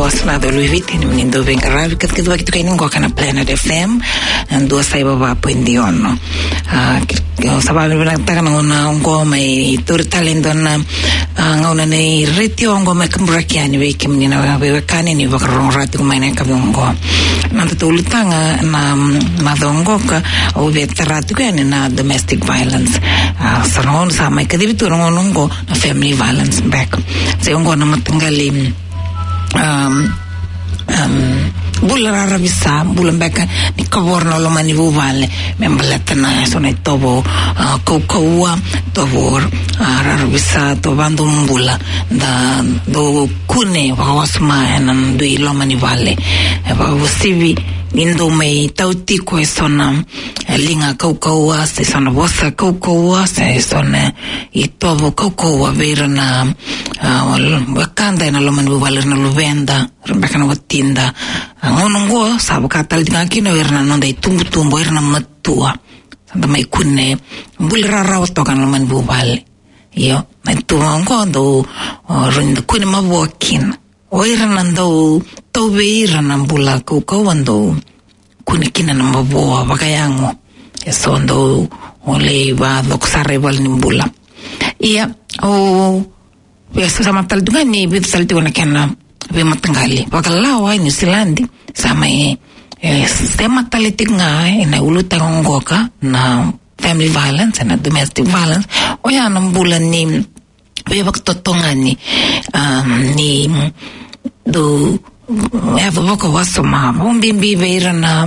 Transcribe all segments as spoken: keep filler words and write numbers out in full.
Vosa na Colo i Viti, ni dau veiqaravi, kacikacivaki tu kina qo ena Planet F M, dua saiva va poidi ono. A, ke, ke, sa vakavinavinakataka na gauna oqo mai tauri tale e dua na, a, gauna ni retio oqo mai kaburaki yani vei kemuni na veiwekani ni vakarorogo tiko mai ena yakavi oqo. Na noda ulutaga ena, mm, macawa oqo ka, au via tara tiko yani na domestic violence. A, sa na gauna sa mai kacivi tu na gauna oqo na family violence beka. Se oqo na mataqali, um, um, bula raravi sa, bula beka ni kavoro na loma ni vuvale, me baleta na so na itovo, a, kaukauwa, tovo, a, raravi sa, tovo vakadomobula, da dau kune vakawasoma ena dui loma ni vale. E vakauasivi ni dau mai tau tiko e so na, e, liga kaukauwa, se so na vosa kaukauwa, se so na itovo kaukauwa vei ira na, a, wekada ena loma ni vuvale, ira na luveda, ira beka na watida. A, gauna oqo sa vaka tale tiko ga kina vei ira na noda itubutubu, ira na matua. Sa da mai kune bula rarawa toka ena loma ni vuvale. Io, na itubutubu oqo dau, o, rawa ni da kune mavoa kina. O ira na dau tau vei ira na bula kaukauwa dau kune kina na mavoa vakayago. E so dau lai vacoko sara i valenibula. Ia, au via sasamatala tu ga ni vica tale tiko na kena veimataqali. Vakalawa e Niusiladi, sa mai, e, sema tale tiko ga ena ulutaga oqo ka na family violence, na domestic violence. Oya na bula ni veivakatotogani, um, ni dau yaco vakawasoma, vakabibi vei ira na,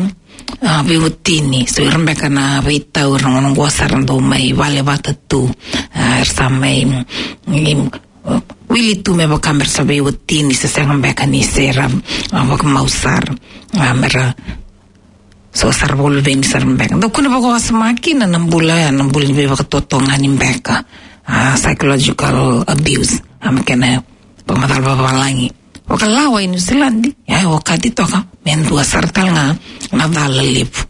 a, veiwatini. So ira beka na veitau, ira na gauna oqo sa ra dau mai vale vata tu, a, era sa mai, mm, wili tu me vaka me ra sa veiwatini, se sega beka ni se ra, a, vakamau sara, a, me ra so sara vakaluveni sara beka. Dau kune vakawasoma kina na bula ya, na bula ni veivakatotogani beka. A, psychological abuse. A, me kena vakamacala vavalagi. Vakalawa e Niusiladi, ya e okati toka me dua sara tale ga na cala levu.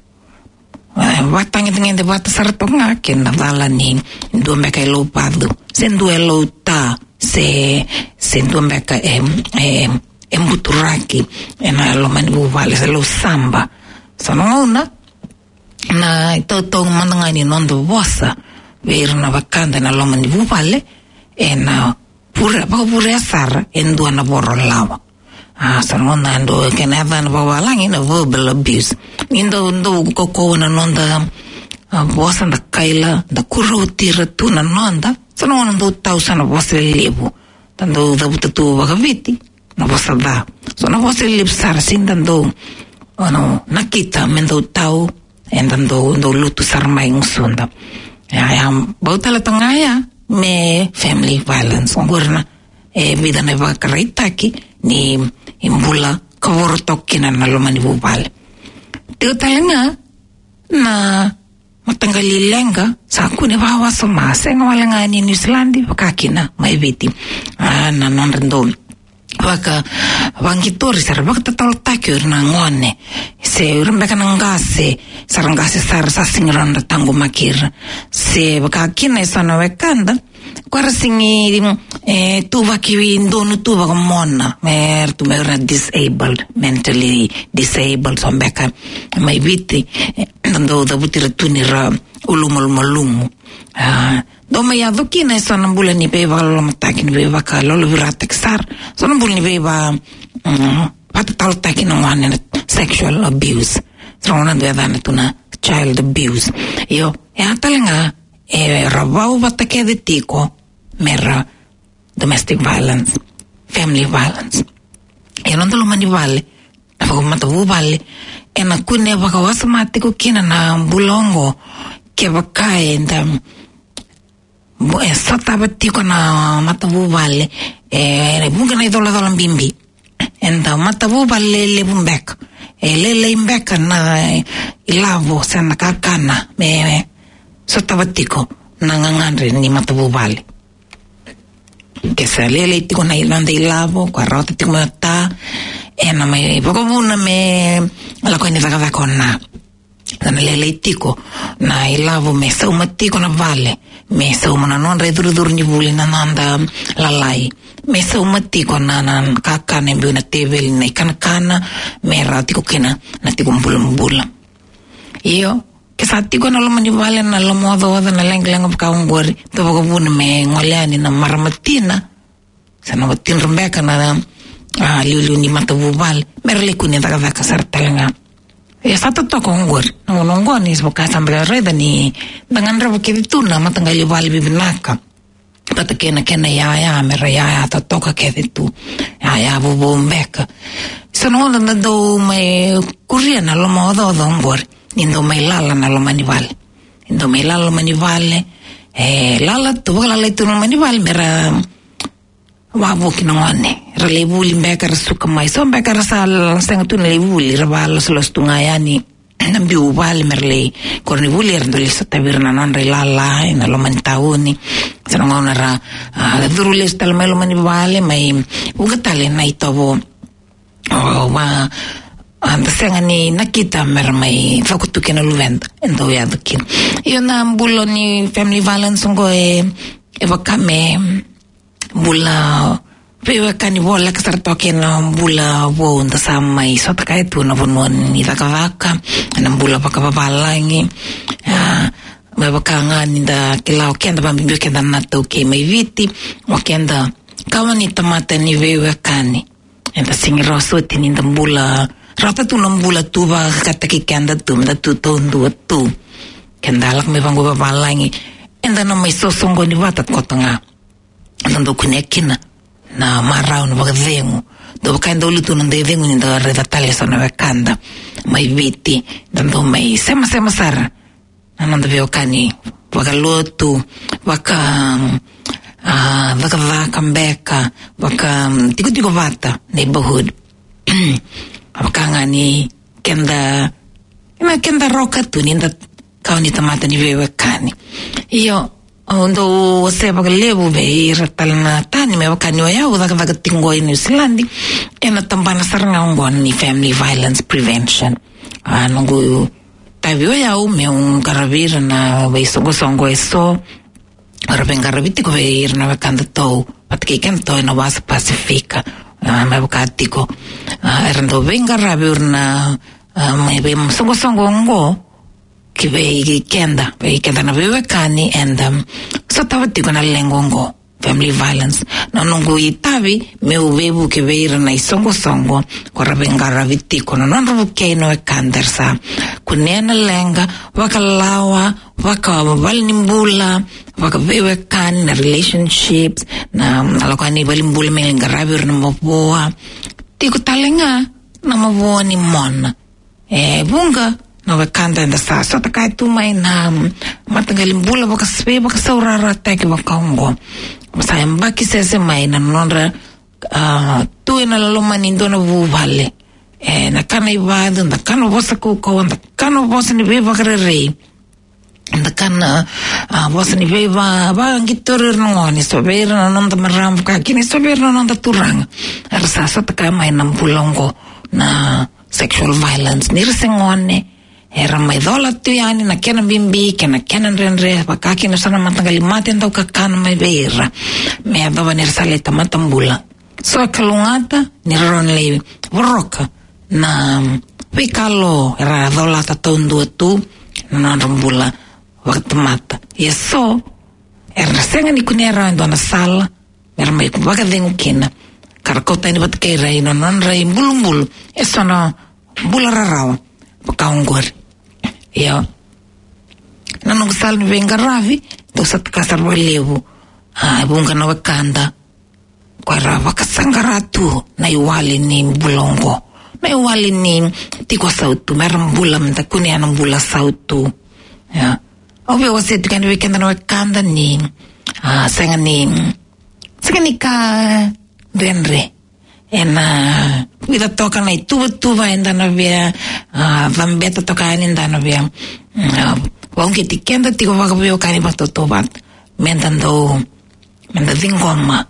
E, vakatagedegede vata sara toka ga kei na cala ni dua beka e lauvacu, se dua e lauta, se, se dua beka e, e, e buturaki ena loma ni vuvale, se lausaba. So na gauna na itautau mada ga ni noda vosa vei ira na wekada ena loma ni vuvale, ena vure, vakavurea sara e dua na voro lawa. A, so na gauna dau kena yacana vakavalagi na verbal abuse. Ni dau, dau kaukauwa na noda, a, vosa, da kaila, da kurauti ira tu na noda. So na gauna dau tau so na vosa lelevu, da dau cavuta tu vakaviti na vosa ca. So na vosa lelevu sara, sega ni da dau, ono, nakita me dau tau, eda dau, dau lutu sara mai gusuda. Ya, ya, bau tale toka ga ya me family violence. Oqori na, e, vica na ivakaraitaki ni, e, bula kavoro toka kina na loma ni vuvale. Tiko tale ga na mataqali leqa, sa kune vakawasoma, sega wale ga ni Niusiladi, vaka kina mai Viti. A, na nodra dau vaka, vakaqitori, sa ra vakatatalataki o ira na gone, se o ira beka na qase, sa ra qase sara, sa sega ni rawa ni ra taqomaki ira. Se vaka kina e so na wekada, ko era sega ni, e, tuvaki donu tu vakamona, me ra tu me ra disabled, mentally disabled, so beka mai Viti, e, dau cavuti ira tu ni ra ulumalumalumu. A, dau mai yaco kina e so na bula ni veivakalolomataki, ni veivakalolovirataki sara. So na bula ni veiva, mm, vakatatalataki na gone, na sexual abuse. So na gauna dau yacana tu na child abuse. Io, e a tale ga, e, ra vau vata kece tiko me ra domestic violence, family violence. E noda loma ni vale, vakamatavuvale, ena kune vakawasoma tiko kina na bula oqo, kevaka eda, bo-, e sotava tiko na matavuvale, e, e vuqa na icolacola bibi. Eda matavuvale lelevu beka, e lailai beka na ilavo se na kakana me sotava tiko na gagadre ni matavuvale. Ke sa lailai tiko na noda ilavo, ko rawata tiko mai o ta, ena mai vakavuna me lako yani cakacaka o na. Sa na lailai tiko na ilavo me sauma tiko na vale, me sauma na nodra icurucuru ni vuli na noda lalai, me sauma tiko na, na kakana e biu na teveli, na ikanakana, me rawa tiko kina na tiko bulabula. Io, ke sa tiko na loma ni vale na lomaocaoca, na leqaleqa vaka oqori, tou vakavuna me gole yani na marama tina, sa na watidra beka na, a, liuliu ni matavuvale, me ra lai kune cakacaka sara tale ga. E sa totoka oqori, na gauna oqo ni sa vaka sa beka raica ni da gadreva kece tu na mataqali vale vivinaka. Vata kei na kena iyaya, me ra iyaya totoka kece tu. Iyaya vovou beka. Sa na gauna da dau mai kuria na lomaocaoca oqori ni dau mai lala na loma ni vale. Ni dau mai lala loma ni vale. E lala tu, vakalalai tu na loma ni vale, me ra wavoki na gone. Ra lai vuli beka, ra suka mai. So beka ra sa sega tu ni lai vuli, ra vakalosoloso tu ga yani na biu vale me ra lai koronivuli, era dau lai sotavi ira na nodra ilala ena loma ni tauni. Sa na gauna ra, a, curu lesu tale mai loma ni vale, mai vuqa tale na itovo, o, va, a, da sega ni nakita me ra mai coko tu kei na luveda, e dau yaco kina. Io, na bula ni family violence oqo e, e vaka me bula veiwekani voleka sara toka ena bula vou da sa mai sotakaya tu na vanua ni cakacaka, na bula vakavavalagi. A, me vaka ga ni da kila o keda, vabibi o keda na taukei mai Viti, o keda kawa ni tamata ni veiwekani. Eda sega ni rawa soti ni da bula, rauta tu na bula tu vakataki keda tu, me da tu taudua tu. Keda lako mai vaqo vavalagi, eda na mai sosoqoni vata koto ga. Da dau kunea kina na marau, na vakacegu. Dau vaka e dau lutu na dau cegu ni da raica tale eso na wekada mai Viti, da dau mai semasema sara na noda veiwekani vakalotu, vaka, a, cakacaka beka, vaka, tikotiko vata, neighborhood. Vaka ga ni keda, na keda roka tu ni da kawa ni tamata ni veiwekani. Io, au dau wasea vakalevu vei ira tale na tani me vaka ni o yau cakacaka tiko qo i New Zealand ena tabana sara ga oqo ni family violence prevention. A, noqu itavi o yau meu qaravi ira na veisoqosoqo eso era veiqaravi tiko vei ira na wekadatou vata kei kedatou ena wasa Pasifika. A, me vaka tiko, a, era dau veiqaravi ira na, a, mai veisoqosoqo oqo ki vei keda, vei keda na veiwekani eda, um, sotava tiko na leqa oqo, family violence. Na noqu itavi meu veivuke vei ira na isoqosoqo ko ra veiqaravi tiko, na nodra vukei na wekada era sa kunea na leqa, vakalawa, vakavalenibula, vakaveiwekani, na relationships, na, na lako yani i valenibula me lai qaravi ira na mavoa. Tiko tale ga na mavoa ni mona. E vuqa na wekada eda sa sotakaya tu mai na, mm, mataqali bula vakasvei, vakasaurarataki vaka oqo. Sa yabaki sese mai na nodra, a, tu ena loma ni dua na vuvale. E, na kana ivacu, da kana vosa kaukauwa, da kana vosa ni veivakarerei. Da kana, a, vosa ni veiva, vaqitoro ira na gone, so vei ira na noda marama, vaka kina so vei ira na noda turaga. Era sa sotakaya mai na bula oqo na sexual violence. Ni ra se gone, era mai cola tu yani na kena bibi kei na kena dredre, vaka kina so na mataqali mate dau kakana mai vei ira. Me yacova ni ra sa lai tamata bula. So e kalougata ni ra rawa ni lai voroka na veika lo era colata taudua tu na nodra bula vakatamata. Ia so era sega ni kunea rawa e dua na sala me ra mai vakacegu kina, ka ra kauta yani vata kei ira ina nodra ibulubulu eso na bula rarawa vaka oqori. Ia, na noqu sala ni veiqaravi, dau sa taka sara vakalevu, a, e vuqa na wekada ko era vakasaqara tu na iwali ni bula oqo, na iwali ni tiko sautu, me ra bula, me da kunea na bula sautu. Ia, au via wasea tiko yani vei keda na wekada ni, a, sega ni, sega ni ka dredre ena vica toka na ituvatuva eda na via, a, cabeta toka yani, da na via, mm, a, vakauqeti keda tiko vakaveiwekani vakatautauvata, me da dau, me da ciqoma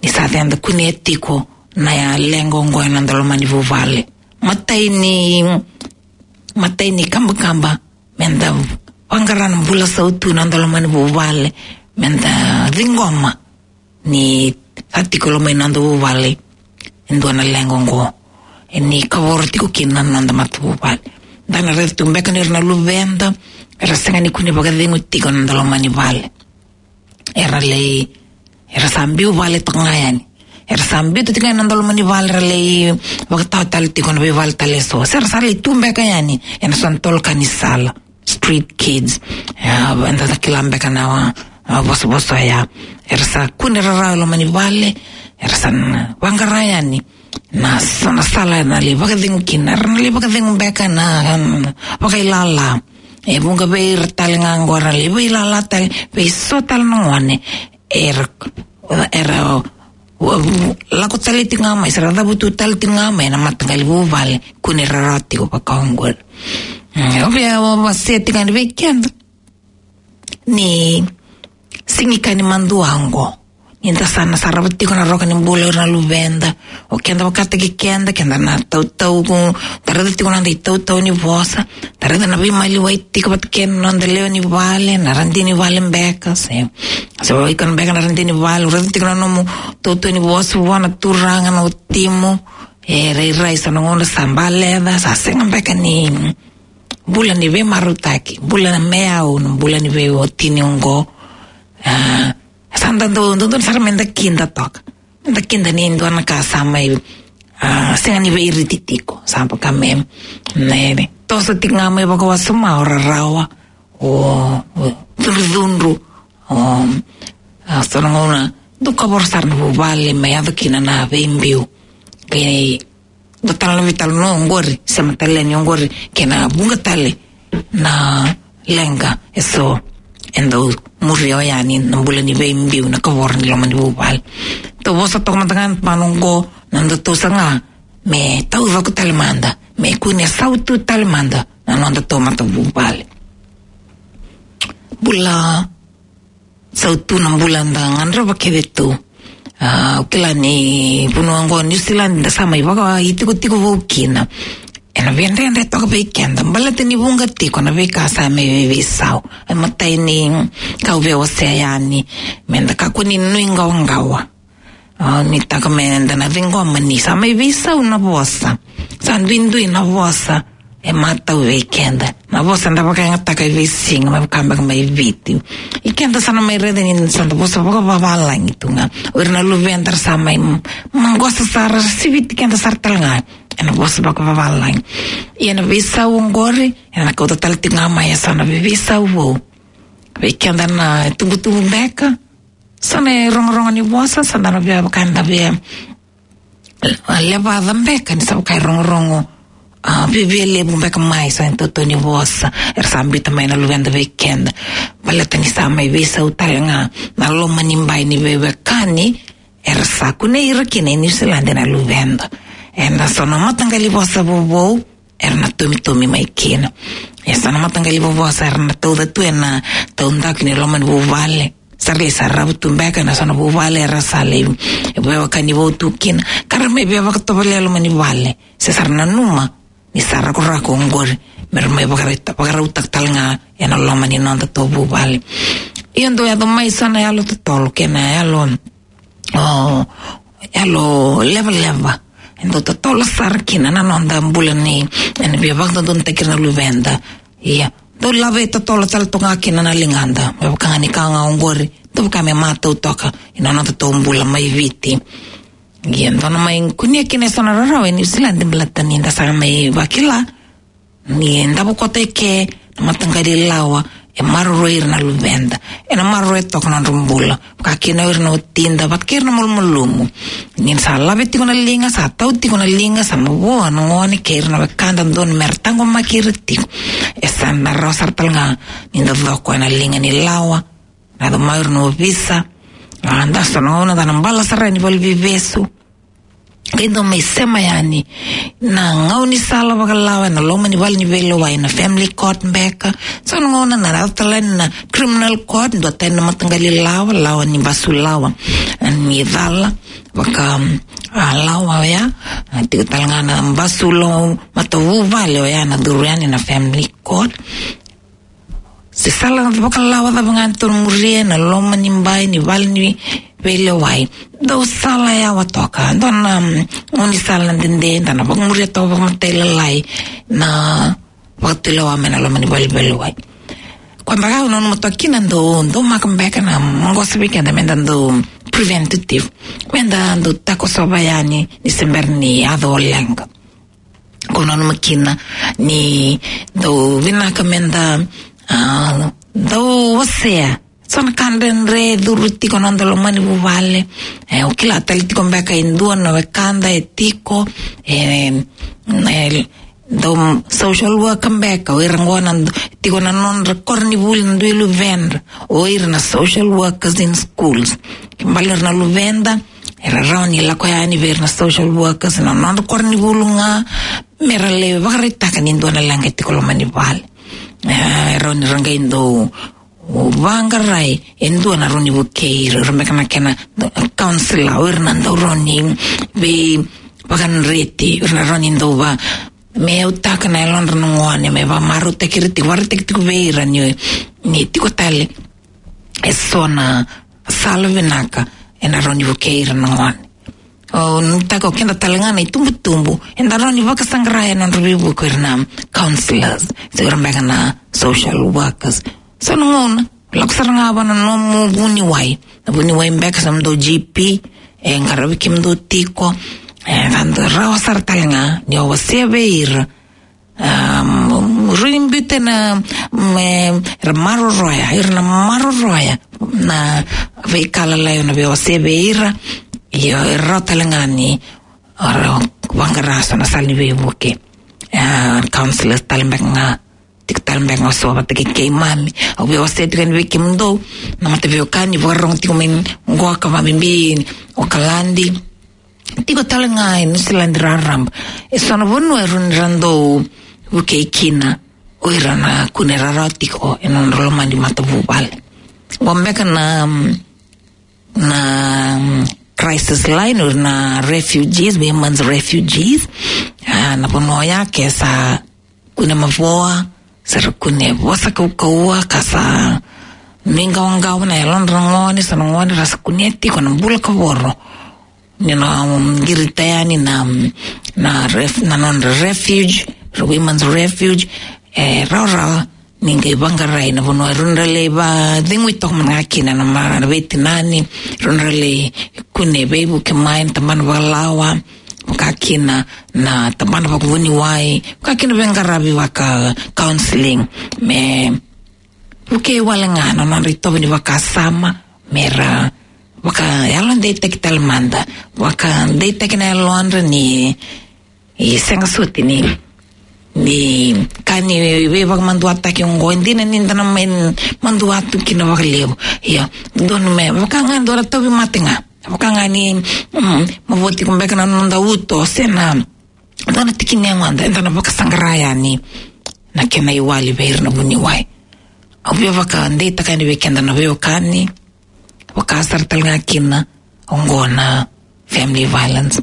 ni sa, eda kunea tiko na leqa oqo ena noda loma ni vuvale. Matai ni matai ni kabakaba, meda vaqara na bula sautu na noda loma ni vuvale, meda ciqoma ni sa tiko loma ni noda vuvale e dua na leqa oqo, e ni kavoro tiko kina na noda matavuvale. Da na raica tu beka ni ira na luveda era sega ni kune vakacegu tiko na noda loma ni vale. Era lai, era sa biu vale toka ga yani. Era sa biu tiko ga na noda loma ni vale, era lai vakatawa tale tiko na veivale tale eso. Se ra sa lai tu beka yani ena so na tolo ka ni sala, street kids. Ia, eda sa kila beka na, a, vosavosa oya. Era sa kune rarawa e loma ni vale, era sa na vaqara yani na so na sala era na lai vakacegu kina, era na lai vakacegu beka na, um, vakailala. E vuqa vei ira tale ga oqo era na lai vakailala tale vei so tale na gone. Era, era, u-, u-, lako tale tiko ga mai, se ra cavutu tale tiko ga mai na mataqali vuvale, kune rarawa tiko vaka oqori. Mm, au via, au via wasea tiko yani vei keda ni siga ni madua oqo, ni da sa na sarava tiko na roka ni bula o ira na luveda. O keda vakataki keda, keda na tautau, da raica tiko na noda itautau ni vosa, da raica na veimaliwai tiko vata kei na noda lewe ni vale, na radini vale beka, se, se o iko beka na radini vale, o raica tiko na nomu tautau ni vosa vua na turaga, na watimu, e rairai sa na gauna sa baleca, sa sega beka ni bula ni veimarautaki, bula na me au, na bula ni veiwatini oqo. A, sa da dau, dodonu sara meda kida toka. Meda kida ni dua na ka sa mai, a, sega ni veiriti tiko. Sa vaka me, ne, ne. Toso tiko ga mai vakawasoma o rarawa, o, o cudrucudru, o, a, so na gauna, dau kavoro sara na vuvale, me yaco kina na veibiu. Kei dua tale na veitalanoa oqori, sema tale yani oqori, kei na vuqa tale na leqa eso e dau muria oya ni na bula ni veibiu, na kavoro ni loma ni vuvale. Tou vosa toka mada ga ena gauna oqo, na nodatou saga me taucoko tale mada, me kune sautu tale mada na nodatou matavuvale. Bula sautu na bula da gadreva kece tu. A, au kila ni vanua oqo New Zealand da sa mai vakaitikotiko vou kina. Ena veidredre toka vei keda, baleta ni vuqa tiko na veika sa mai veiveisau. E matai ni ka au via wasea yani, meda kakua ni nuiqawaqawa. A, ni taka meda na ciqoma ni sa mai veisau na vosa. Sa duidui na vosa e matau vei keda. Na vosa da vakayagataka e veisiga, me vaka beka mai Viti. I keda sa na mai raica ni sa da vosa vakavavalagi tu ga. O ira na luveda ra sa mai m-, maqosa sara, ra siviti keda sara tale ga ena vosa vakavavalagi. Ia na veisau oqori ena kauta tale tiko ga mai eso na veiveisau vou vei keda na tubutubu beka. So na irogorogo ni vosa, sa da na via vaka da via levaca beka ni sa vaka irogorogo, a, viavia levu beka mai, so na itautau ni vosa era sa biuta mai na luveda vei keda. Baleta ni sa mai veisau tale ga na loma ni bai ni veiwekani era sa kunei ira kina e New Zealand na luveda. Ena so na mataqali vosa vovou era na tomitomi mai kina. E so na mataqali vosa era na tauca tu ena taudaku ni loma ni vuvale. Sa ra lai sarava tu beka ena so na vuvale era sa lai veiwekani vou tu kina. Ka ra mai via vakatovolea loma ni vale. Se sa ra nanuma ni sa rakorako oqori, me ra mai vakarauta-, vakarautaka tale ga ena loma ni nodatou vuvale. Ia dau yaco mai so na yalo totolo kei na yalo, o, yalo levaleva e dau totolo sara kina na noda bula ni, ena via vakadodonutaki ira na luveda. Ia dau lave totolo tale toka ga kina na ligada, me vaka ga ni ka ga oqori dau vaka me matau toka ina nodatou bula mai Viti. Ia dau na mai kunea kina eso na rarawa e New Zealand, baleta ni da sa mai vakila ni davo koto eke na mataqali lawa e maroroi ira na luveda, ena maroroi toka na nodra bula, vaka kina o ira na watida vata kei ira na malumalumu. Ni sa lave tiko na liga, sa tau tiko na liga, sa mavoa na gone kei ira na wekada dodonu me ra taqomaki ira tiko. E sa na rawa sara tale ga ni da coko ena liga ni lawa, na yaco mai o ira na ovisa. A, da so na gauna da na bala sara yani valeniveivesu. Qai dau mai sema yani na gaunisala vakalawa ena loma ni vale ni veilewai, na family court beka. So na gauna na yaco tale yani na criminal court, dua tani na mataqali lawa, lawa ni basulawa, ni cala vaka, um, a, lawa oya, a, tiko tale ga na basulawa matavuvale oya na curu yani na family court. Se sala vakalawa cava ga tou na muria ena loma ni bai ni vale ni veilewai, dau sala yawa toka. Dua na, um, gaunisala dede, da na vakamuria toka vakamatailalai na vakatulewa mai na loma ni vale ni veilewai. Koya beka au nanuma toka kina dau, dau maka beka na maqosa vei keda meda dau preventative. Meda dau takosova yani ni se bera ni yaco o leqa. Ko nanuma kina ni dau vinaka meda, a, dau wasea so na ka dredre e curu tiko ena noda loma ni vuvale. E, o kila tale tiko beka e dua na wekada e tiko, e, e dau social worker beka, o ira qo na, tiko na nodra koronivuli na dui luvedra, o ira na social workers in schools. Ke bale ira na luveda, era rawa ni lako yani vei ira na social workers na nodra koronivuli ga, mera lai vakaraitaka ni dua na leqa e tiko loma ni vale. E, rawa ni ra qai dau vaqarai e dua na rawa ni vukei ira, ira beka na kena counselor, o ira na dau rawa ni veivakadreti, o ira na rawa ni dau va, me yautaka na yalodra na gone, me vakamarautaki ira tiko, vakaraitaki tiko vei ira ni, ni tiko tale eso na sala vinaka ena rawa ni vukei ira na gone. O, nuitaka o keda tale ga na itubutubu, eda rawa ni vakasaqara ena nodra veivuke o ira na counselors, se o ira beka na social workers. So na gauna, lako sara ga vua na nomu vuniwai. Na vuniwai beka sa nomudou G P e qaravi kemudou tiko. E, ka dau rawa sara tale ga ni o wasea vei ira. Um, rui biuta na, me, era maroroya, era na maroroya na veika lalai o na veiwasei vei ira. Io, era rawa tale ga ni ra vaqara so na sala ni veivuke. A, counselors tale beka ga, tiko tale beka ga so vata kei keimami. Au veiwasei tiko yani vei kemudou na mataveiwekani vakarorogo tiko mai qo ka vakabibi Okaladi. Tiko tale ga e Niusiladi raraba. E so na vanua e rawa ni ra dau vukei kina o ira na kune rarawa tiko ena nodra loma ni matavuvale. Qo beka na, na crisis line, o ira na refugees, women's refugees. A, na vanua oya ke sa kune mavoa, sa ra kune vosa kaukauwa, ka sa nuiqawaqawa na yalodra na gone, so na gone ra sa kunea tiko na bula kavoro. Ni na, um, qirita yani na, na ref-, na nodra refuge, ra women's refuge, e rawarawa ni qai vaqarai na vanua e rawa ni ra lai vacegui toka mada ga kina na ma-, na veitinani, rawa ni ra lai kune veivuke mai na tabana vakalawa, vaka kina na tabana vakavuniwai, vaka kina veiqaravi vaka counselling, me vukei wale ga na nodra itovo ni vakasama, me ra vakayalodeitaki tale mada, vakadeitaki na yalodra ni, e sega soti ni, ni ka ni veivakamaduataki oqo, e dina ni da na mai madua tu kina vakalevu. Ia, dodonu me vaka ga e dua na tauvimate ga. Vaka ga ni, mm, mavoa tiko beka na noda uto, se na dua na tiki ni yagoda, eda na vakasaqara yani na kena iwali vei ira na vuniwai. Au via vakadeitaka yani vei keda na veiwekani, vaka sara tale ga kina oqo na family violence.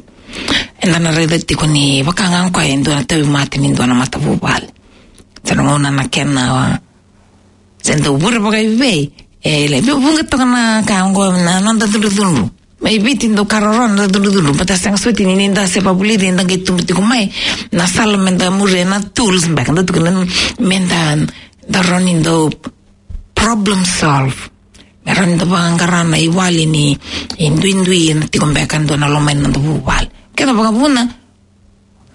Eda na raica tiko ni vaka ga o koya e dua na tauvimate ni dua na matavuvale. Sa na gauna na kena, se dau vure vakaivei, e lai vuqa toka na ka oqo na noda cudrucudru. Mai Viti dau ka roroya na cudrucudru, baleta sega soti ni, ni da se vakavulici, da qai tubu tiko mai na sala me da muria, na tools beka da tukuna, me da, da rawa ni dau problem solve. Me rawa ni da vaqara na iwali ni, e duidui ena tiko beka e dua na loma ni noda vuvale. Keda vakavuna,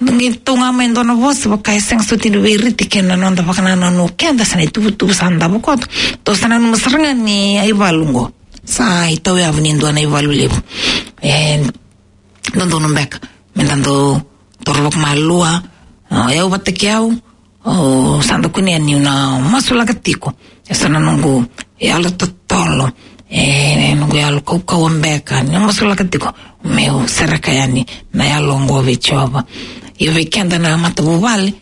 da qai tau ga mai e dua na vosa vaka e sega soti ni veiriti kei na noda vakanananu o keda se na ituvatuva sa davo koto. Tou sa nanuma sara ga ni aivalu oqo sa itauyavutaki ni dua na ivalu levu. E dodonu beka me da dau toro vakamalua. O yau vata kei au, au sa da kunea niu na masulaka tiko e so na noqu yalo totolo, e noqu yalo kaukauwa beka, ni masulaka tiko meu sereka yani na yalo oqo vei Jiova. Ia vei keda na matavuvale,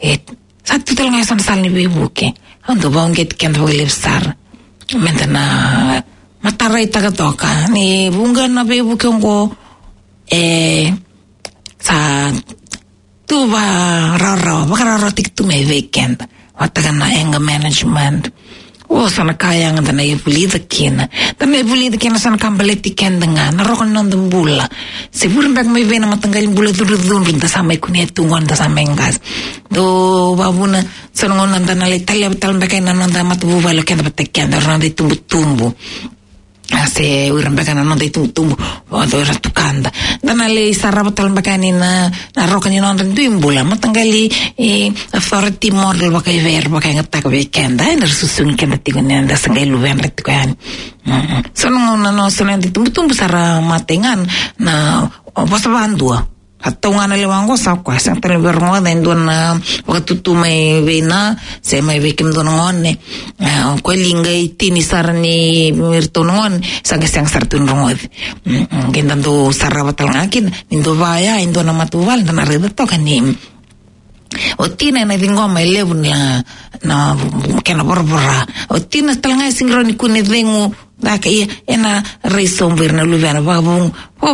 e, sa tu tale ga e so na sala ni veivuke. Au dau vakauqeti keda vakalevu sara meda na mataraitaka toka ni vuqa na veivuke oqo, e, sa tu vakararawa, vakararawataki tu mai vei keda. Vata kei na anger management. O, so na ka yaga da na vulica kina. Da na vulica kina so na ka baleti keda ga, na roka ni noda bula. Se vure beka mai vei na mataqali bula cudrucudru da sa mai kunea tu qo, da sa mai qase. Dau vakavuna, so na gauna da na lai taleva tale beka na noda matavuvale o keda vata kei keda, na noda itubutubu. A, se o ira beka na noda itubutubu, o ira tukada. Da na lai sarava tale beka ni na, na roka ni nodra dui bula. Mataqali, e, authority model vakaivei era vakayagataka vei keda, e, na ra susugi keda tiko ni da sa qai luvedra tiko yani. Mm-mm. So na, na, na, so na itubutubu sa ra matai ga na, o, vosa vakadua. A tau ga na lewa oqo sa koya, sega tale ni via rogoca e dua na vakatutu mai vei na, se mai vei kemudou na gone. A, o koya li qai tini sara ni vei iratou na gone, sa qai sega sara tu ni rogoci. Mm, mm, qai da dau sarava tale ga kina, ni dau vaya e dua na matavuvale, da na raica toka ni o tina ena ciqoma e levu na, na kena voravora. O tina tale ga e sega ni rawa ni kune cegu, caka, ia ena rai sobu ira na luvena, vakavuqa, vaka,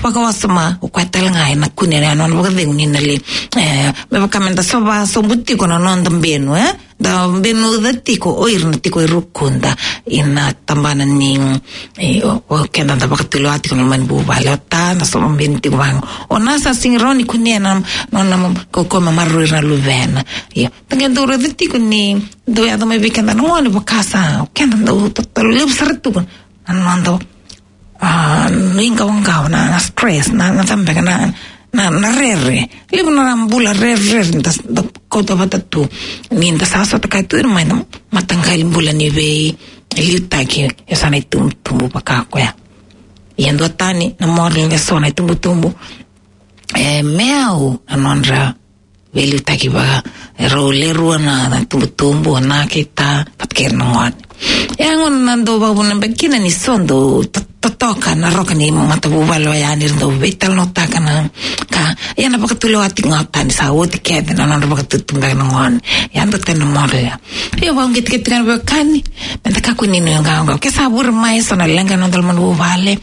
vakawasoma, o koya tale ga ena kune na nona vakacegu ni na lai, e, me vaka meda sova sobu tiko na noda benu, e? Da benuca tiko o ira na tiko e rukuda ina tabana ni, e, o, o keda da vakatulewa tiko na loma ni vuvale, o ta, da sova benu tiko vaqo. O na sa sega ni rawa ni kunea na, na, na kaukauwa me maroroi ira na luvena. Ia, da qai dau raica tiko ni dau yaco mai vei keda na gone vaka sa, o keda dau tatalo levu sara tu na noda, a, nuiqawaqawa, na, na stress, na, na cava beka, na, na, na rere. Levu na bula rerere da, da kauta vata tu. Ni da sa sota kaya tu ira mai na mataqali bula ni veiliutaki e so na itubutubu vaka koya. Ia duatani na moral e so na itubutubu, e, me yau na nodra veiliutaki vaka, e, rau le rua na, na itubutubu, o na kei ta, vata kei ira na gone. E a gauna na dau vakavuna beka kina ni so dau to-, totoka na roka ni matavuvale oya ni ra dau veitalanoataka na ka. Ia na vakatulewa tiko ga o ta ni sa oti kece na nodra vakatutu beka na gone. Ia duatani na moral ya. Ia vakauqeti keda tiko ga na veiwekani, meda kakua ni nuiqawaqawa. Ke sa vure mai e so na leqa ena noda loma ni vuvale,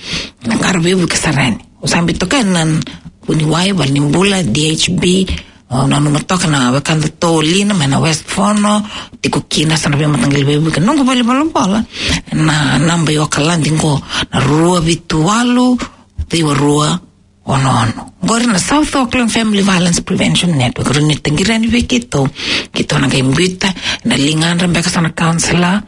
na qara veivuke sara yani. Au sa biuta toka ena vuniwai, valenibula, D H B, au nanuma toka na wekadatou o Lina mai na West Fono, tiko kina e so na veimataqali veivuke. Noqu valenivolavola, na naba i Okaladi qo, na rua vitu walu, ciwa rua, ono ono. Qori na South Auckland Family Violence Prevention Network, rawa ni taqiri yani vei keitou. Keitou na qai biuta ena ligadra beka e so na counsellor.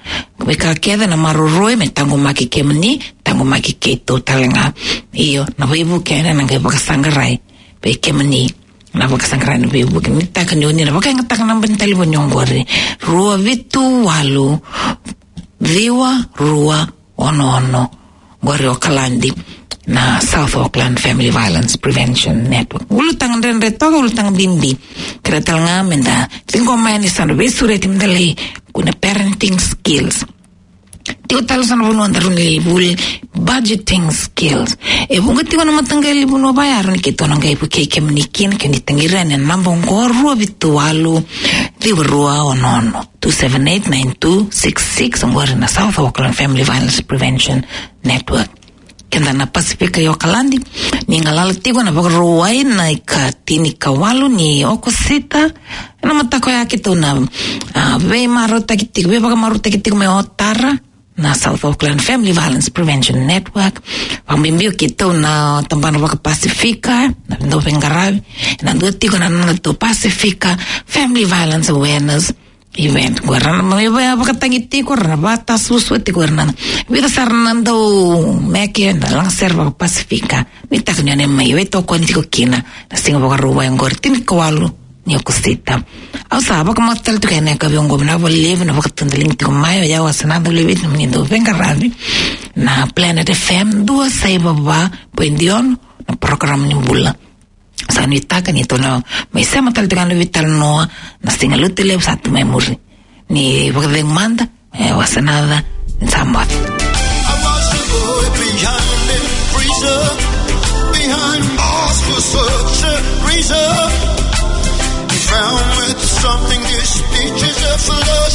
Veika kece na maroroi me taqomaki kemuni, taqomaki keitou tale ga. Io, na veivuke ena qai vakasaqarai vei kemuni. Na vakasaqarai na veivuke, nuitaka ni oni na vakayagataka na naba ni talevoni oqori, rua vitu walu, ciwa rua ono ono. Qori Okaladi, na South Auckland Family Violence Prevention Network. Ulutaga dredre toka, ulutaga bibi. Kerea tale ga meda ciqoma yani e so na veisureti meda lai kune parenting skills. Tiko tale e so na vanua da rawa ni lai vuli, budgeting skills. E vuqa tiko na mataqali vanua vaya e rawa ni keitou na qai vukei kemuni kina, ke ni taqiri yani ena naba oqo, rua vitu walu, ciwa rua ono ono, two seven eight nine two six six, oqori na South Auckland Family Violence Prevention Network. Keda na Pasifika e Okaladi, ni galala tiko na Vakarauwai na ika tinikawalu ni Okosita. Ena mataka oya keitou na, a, veimarautaki tiko, veivakamarautaki tiko mai Otara, na South Auckland Family Violence Prevention Network. Vakabibi o keitou na tabana vakaPasifika, na dau veiqaravi, ena dua tiko na nodatou Pasifika Family Violence Awareness Event. Qo era na mai vaka, vakatagi tiko, era na vakatasuasua tiko, era na vica sara na dau meke, na lagasere vakaPasifika. Nuitaka ni o ni mai veitokoni tiko kina na siga Vakarauwai oqori, tinikawalu ni Okosita. Au sa vakamacala tiko ena yakavi oqo, vinaka vakalevu na vakatudaliga tiko mai. O yau Asenada Leviti, na nomuni dau veiqaravi na Planet F M, dua saiva va poidi ono, na program ni bula. Sa nuitaka ni tou na mai sema tale tiko ga na veitalanoa na Siga Lotulevu sa tu mai muri. Ni vakacegu mada, e, Asenada, ni sa moce. Behind the freezer, behind bars for such a reason. He found with something, this speech is a flow.